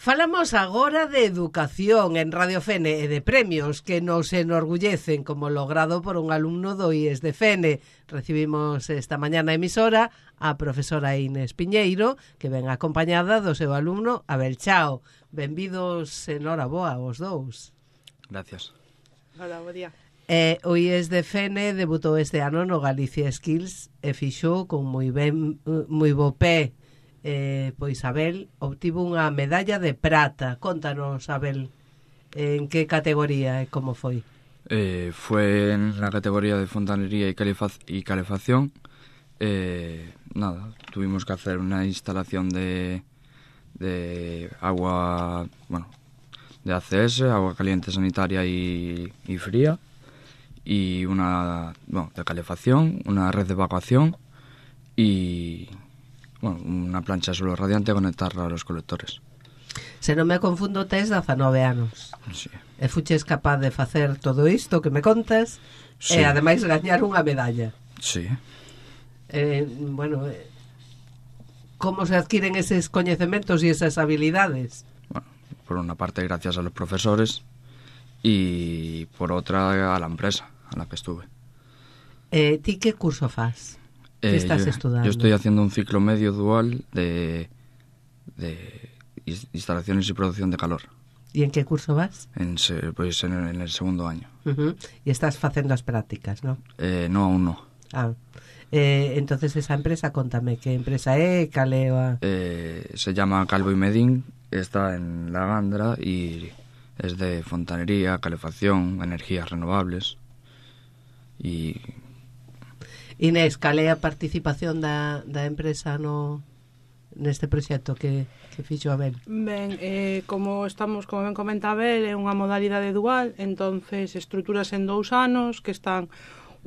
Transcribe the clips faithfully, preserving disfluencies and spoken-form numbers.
Falamos agora de educación en Radio Fene e de premios que nos enorgullecen, como logrado por un alumno do I E S de Fene. Recibimos esta mañá na emisora a profesora Inés Piñeiro, que ven acompañada do seu alumno Abel Chao. Benvidos, enhoraboa, os dous. Gracias. Hola, bo día. Eh, o I E S de Fene debutou este ano no Galicia Skills e fixou con moi ben, moi bo pé. Eh, pois Abel obtivo unha medalla de prata. Contanos, Abel, en que categoría e como foi? Eh, fue en la categoría de fontanería y, calefaz y calefacción. Eh, nada, tuvimos que hacer una instalación de, de agua, bueno, de A C S, agua caliente sanitaria y, y fría, y una, bueno, de calefacción, una red de evacuación y... bueno, unha plancha de suelo radiante a conectarla a los colectores. Se non me confundo, tes dezanove anos. Sí. E fuches capaz de facer todo isto que me contas, sí. E ademais gañar unha medalla. Sí. Eh, bueno, eh, como se adquiren eses coñecementos e esas habilidades? Bueno, por una parte gracias a los profesores y por otra a la empresa a la que estuve. Eh, ti que curso fas? ¿Qué Eh, estás yo, estudiando? Yo estoy haciendo un ciclo medio dual de, de instalaciones y producción de calor. ¿Y en qué curso vas? En, pues en, en el segundo año. Uh-huh. Y estás facendo as prácticas, ¿no? Eh, no, aún no. Ah. Eh, entonces esa empresa, contame, ¿qué empresa é? Cal é a... Eh, se llama Calvo y Medín, está en La Gandra y es de fontanería, calefacción, energías renovables y... Inés, cal é a participación da, da empresa no neste proxecto que, que fixo Abel? Ben, eh, como estamos, como ben comenta Abel, é unha modalidade dual, entonces estruturas en dous anos que están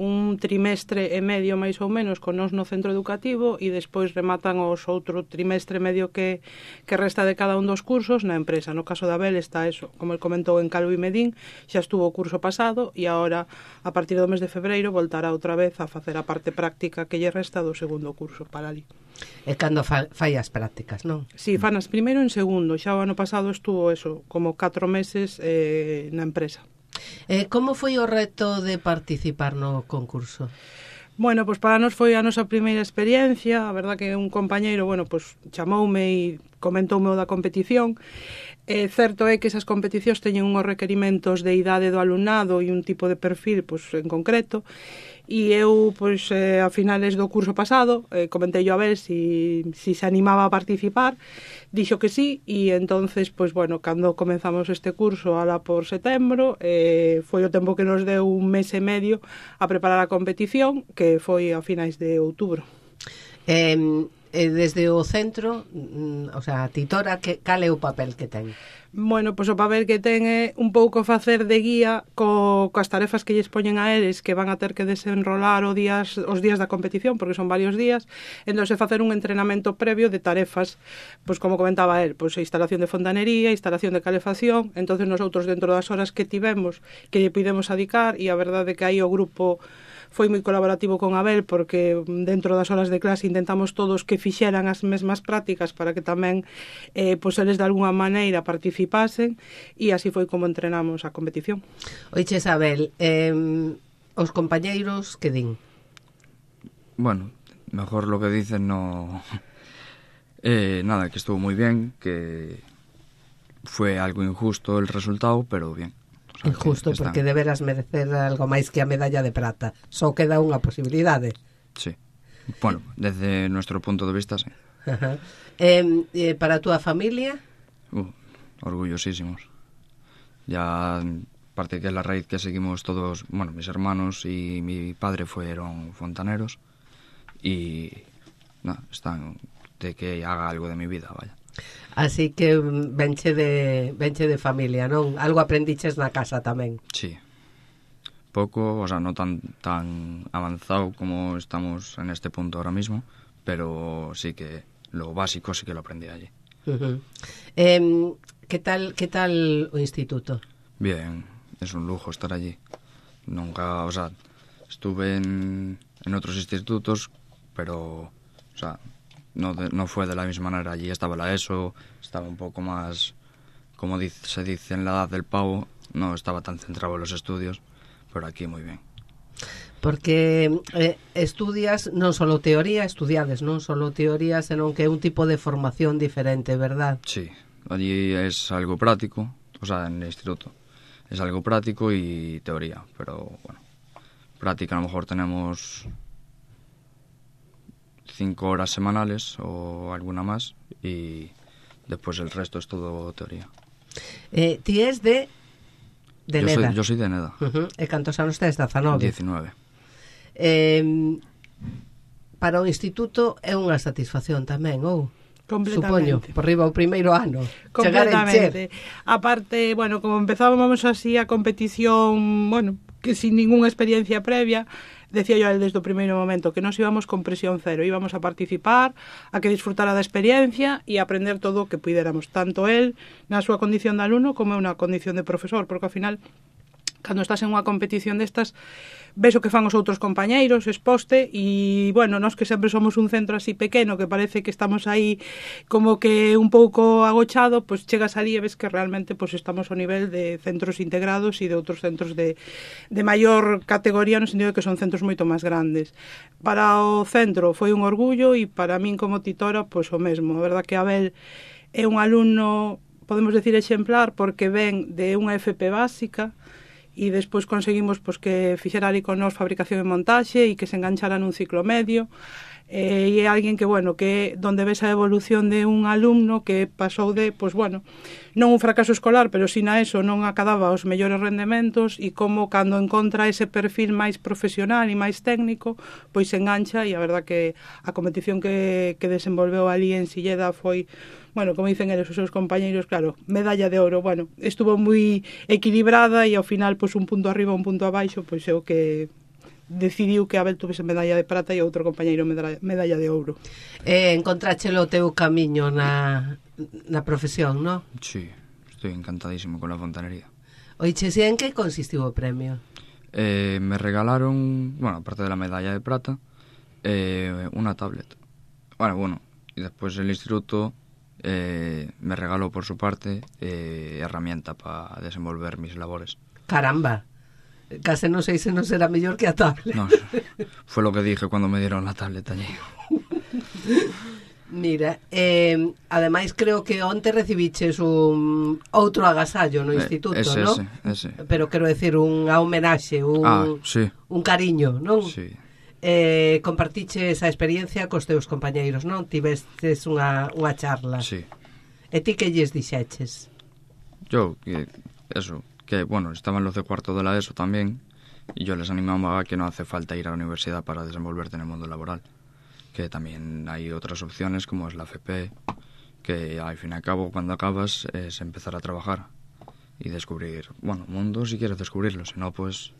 un trimestre e medio máis ou menos con nos no centro educativo e despois rematan os outro trimestre e medio que, que resta de cada un dos cursos na empresa. No caso de Abel está eso, como el comentou, en Calvo y Medín, xa estuvo o curso pasado e agora a partir do mes de febreiro voltará outra vez a facer a parte práctica que lle resta do segundo curso para ali. É cando fa, fai as prácticas, non? Si, sí, fanas primeiro en segundo, xa o ano pasado estuvo eso, como catro meses eh, na empresa. Eh, como foi o reto de participar no concurso? Bueno, pois para nós foi a nosa primeira experiencia. A verdad que un compañeiro, bueno, pois chamoume e comentoume o da competición. É certo é que esas competicións teñen unhos requerimentos de idade do alumnado e un tipo de perfil, pois en concreto. E eu, pois, eh, a finales do curso pasado, eh, comentei yo a ver si, si se animaba a participar, dixo que sí, e entonces, pois, bueno, cando comenzamos este curso, ala por setembro, eh, foi o tempo que nos deu un mes e medio a preparar a competición, que foi a finais de outubro. Eh, eh, desde o centro, mm, o sea, a titora, que, cal é o papel que ten? Bueno, pois o papel que ten é un pouco facer de guía co, coas tarefas que lles poñen a eles, que van a ter que desenrolar os días, os días da competición, porque son varios días, entón se facer un entrenamento previo de tarefas, pois como comentaba él, pois a instalación de fontanería, instalación de calefacción, entonces nosotros dentro das horas que tivemos, que lle pudemos adicar, e a verdade é que aí o grupo foi moi colaborativo con Abel, porque dentro das horas de clase intentamos todos que fixeran as mesmas prácticas para que tamén eh, pois eles de alguna maneira participasen, e así foi como entrenamos a competición. Oiches, Abel, eh, os compañeiros que din? Bueno, mejor lo que dicen no... Eh, nada, que estuvo muy bien, que fue algo injusto el resultado, pero bien. O sea, injusto, que están... porque deberas merecer algo máis que a medalla de prata. Só queda unha posibilidade. Sí. Bueno, desde nuestro punto de vista, sí. Ajá. Eh, eh, para a túa familia? Uh, orgullosísimos. Ya, aparte que es la raíz que seguimos todos, bueno, mis hermanos y mi padre fueron fontaneros y no, están de que haga algo de mi vida, vaya. Así que venche de venche de familia, non? Algo aprendiches na casa tamén. Sí. Poco, o sea, no tan tan avanzado como estamos en este punto ahora mismo, pero sí que lo básico sí que lo aprendí allí. Uh-huh. Eh, ¿qué tal qué tal o instituto? Bien, es un lujo estar allí. Nunca, o sea, estuve en en otros institutos, pero, o sea, no, de, no fue de la misma manera. Allí estaba la ESO, estaba un poco más como dice, se dice en la edad del pavo, no estaba tan centrado en los estudios, pero aquí muy bien. Porque eh, estudias non só teoría, estudiades non só teoría, senón que é un tipo de formación diferente, verdad? Sí, allí es algo práctico, o sea, en el instituto es algo práctico y teoría, pero bueno, práctica a lo mejor tenemos cinco horas semanales o alguna más y después el resto es todo teoría. Eh, ti es de de yo Neda. Soy, yo soy de Neda. Uh-huh. E cantos anos tes? dezanove. diecinueve. Eh, para o instituto é unha satisfacción tamén, ou? Supoño, por riba o primeiro ano. Completamente. Aparte, bueno, como empezábamos así a competición, bueno, que sin ninguna experiencia previa, decía yo a él desde o primeiro momento que nos íbamos con presión cero, íbamos a participar, a que disfrutara da experiencia e aprender todo o que puidéramos, tanto él na súa condición de alumno como na condición de profesor, porque ao final, cando estás en unha competición destas, ves o que fan os outros compañeiros, exposte, e, bueno, nós que sempre somos un centro así pequeno, que parece que estamos aí como que un pouco agochado, pois chegas ali e ves que realmente pois estamos ao nivel de centros integrados e de outros centros de, de maior categoría, no sentido de que son centros moito máis grandes. Para o centro foi un orgullo e para min como titora, pois o mesmo. A verdad que Abel é un alumno, podemos decir exemplar, porque ven de unha F P básica, e despois conseguimos pois, que fixera ali con nós fabricación e montaxe e que se enganchara nun ciclo medio, eh, e é alguén que, bueno, que donde ves a evolución de un alumno que pasou de, pois, bueno, non un fracaso escolar, pero si na ESO non acadaba os mellores rendementos e como cando encontra ese perfil máis profesional e máis técnico, pois se engancha e a verdad que a competición que, que desenvolveu ali en Silleda foi, bueno, como dicen eles os seus compañeiros, claro, medalla de ouro, bueno, estuvo moi equilibrada e ao final, pois un punto arriba, un punto abaixo, pois é o que decidiu que Abel tuvese medalla de prata e outro compañeiro medalla, medalla de ouro. Eh, encontráchelo o teu camiño na, na profesión, non? Sí, estoy encantadísimo con la fontanería. Oiche, si en que consistiu o premio? Eh, me regalaron, bueno, aparte de la medalla de plata, eh, una tablet. Bueno, bueno, y después el instituto eh, me regaló por su parte eh, herramienta para desenvolver mis labores. Caramba, case non sei se non será mellor que a tablet. No, fue lo que dije cuando me dieron la tablet allí. Mira, eh, ademais creo que onte recibiches un outro agasallo no instituto, eh, ese, non? Ese, ese. Pero quero decir, unha homenaxe, un, ah, sí. un cariño, non? Sí. Eh, compartiches a experiencia cos teus compañeiros, non? Tivestes unha, unha charla. Sí. E ti que lles dixeches? Yo, que, eso, que bueno, estaban los de cuarto de la ESO también, y yo les animaba a que no hace falta ir a la universidad para desenvolverte en el mundo laboral, que también hay otras opciones como es la F P, que al fin y al cabo cuando acabas es empezar a trabajar y descubrir, bueno, mundo si quieres descubrirlo, si no pues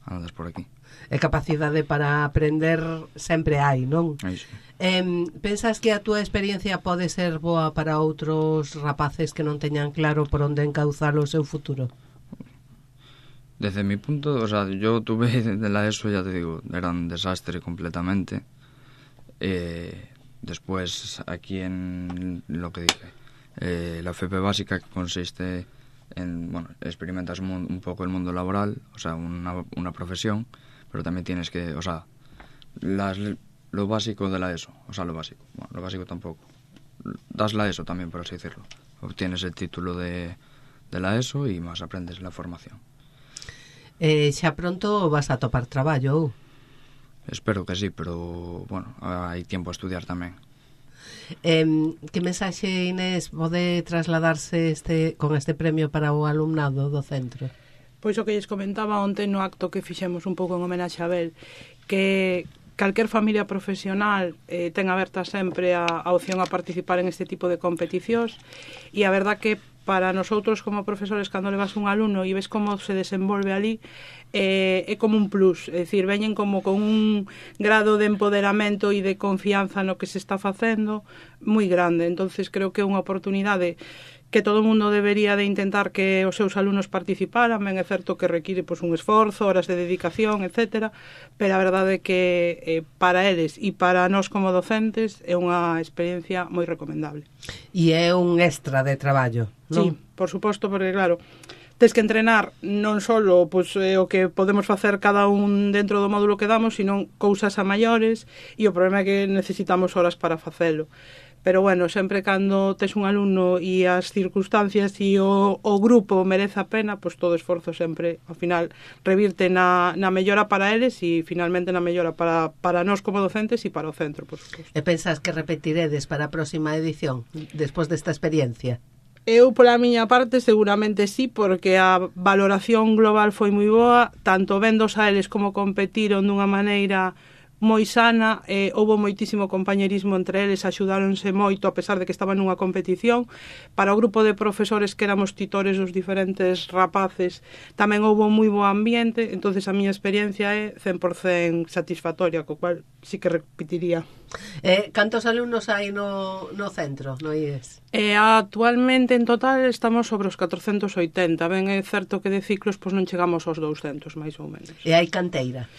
andas por aquí. E capacidade para aprender sempre hai, non? Aí sí. Eh, pensas que a túa experiencia pode ser boa para outros rapaces que non teñan claro por onde encauzar o seu futuro? Desde mi punto, o sea, yo tuve de la ESO, ya te digo, era un desastre completamente. Eh, después, aquí en lo que dije, eh, la F P básica, que consiste en, bueno, experimentas un, un poco el mundo laboral, o sea, una, una profesión, pero también tienes que, o sea, las, lo básico de la ESO, o sea, lo básico, bueno, lo básico tampoco, das la ESO también, por así decirlo, obtienes el título de, de la ESO y más aprendes la formación. Eh, xa pronto vas a topar traballo, ou? Espero que sí, pero, bueno, hai tiempo a estudiar tamén. Eh, que mensaxe, Inés, pode trasladarse este, con este premio para o alumnado do centro? Pois o que lles comentaba onte no acto que fixemos un pouco en homenaxe a Abel, que calquer familia profesional eh, ten aberta sempre a, a opción a participar en este tipo de competicións, e a verdad que para nosotros como profesores, cando levas un alumno e ves como se desenvolve ali, eh, é como un plus, é dicir, veñen como con un grado de empoderamento e de confianza no que se está facendo moi grande. Entonces creo que é unha oportunidade que todo o mundo debería de intentar que os seus alumnos participaran, ben é certo que require pois, un esforzo, horas de dedicación, etcétera, pero a verdade é que eh, para eles e para nós como docentes é unha experiencia moi recomendable. E é un extra de traballo, non? Sí, por suposto, porque claro, tes que entrenar non só pois, eh, o que podemos facer cada un dentro do módulo que damos, sino cousas a maiores, e o problema é que necesitamos horas para facelo. Pero bueno, sempre cando tes un alumno e as circunstancias e o, o grupo merece a pena, pois todo esforzo sempre, ao final, revirte na, na mellora para eles e finalmente na mellora para, para nós como docentes e para o centro, por suposto. E pensas que repetiredes para a próxima edición, despois desta experiencia? Eu, pola miña parte, seguramente sí, porque a valoración global foi moi boa, tanto vendos a eles como competiron dunha maneira moi sana, eh, houve moitísimo compañerismo entre eles, axudáronse moito a pesar de que estaban nunha competición. Para o grupo de profesores que éramos titores dos diferentes rapaces tamén houve moi bo ambiente, entonces a miña experiencia é cen por cento satisfactoria, co cual sí que repetiría. Eh, cantos alumnos hai no, no centro, no I E S? Eh, actualmente en total estamos sobre os catrocentos oitenta, ben é certo que de ciclos pois non chegamos aos douscentos, máis ou menos. E hai canteira?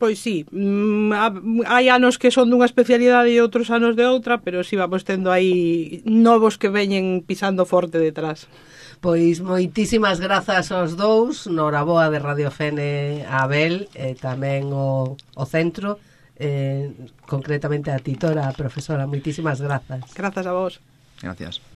Pois sí, hai anos que son dunha especialidade e outros anos de outra, pero sí vamos tendo aí novos que veñen pisando forte detrás. Pois moitísimas grazas aos dous, noraboa de Radio Fene a Abel e tamén o, o centro, eh, concretamente a titora, a profesora, moitísimas grazas. Grazas a vos. Gracias.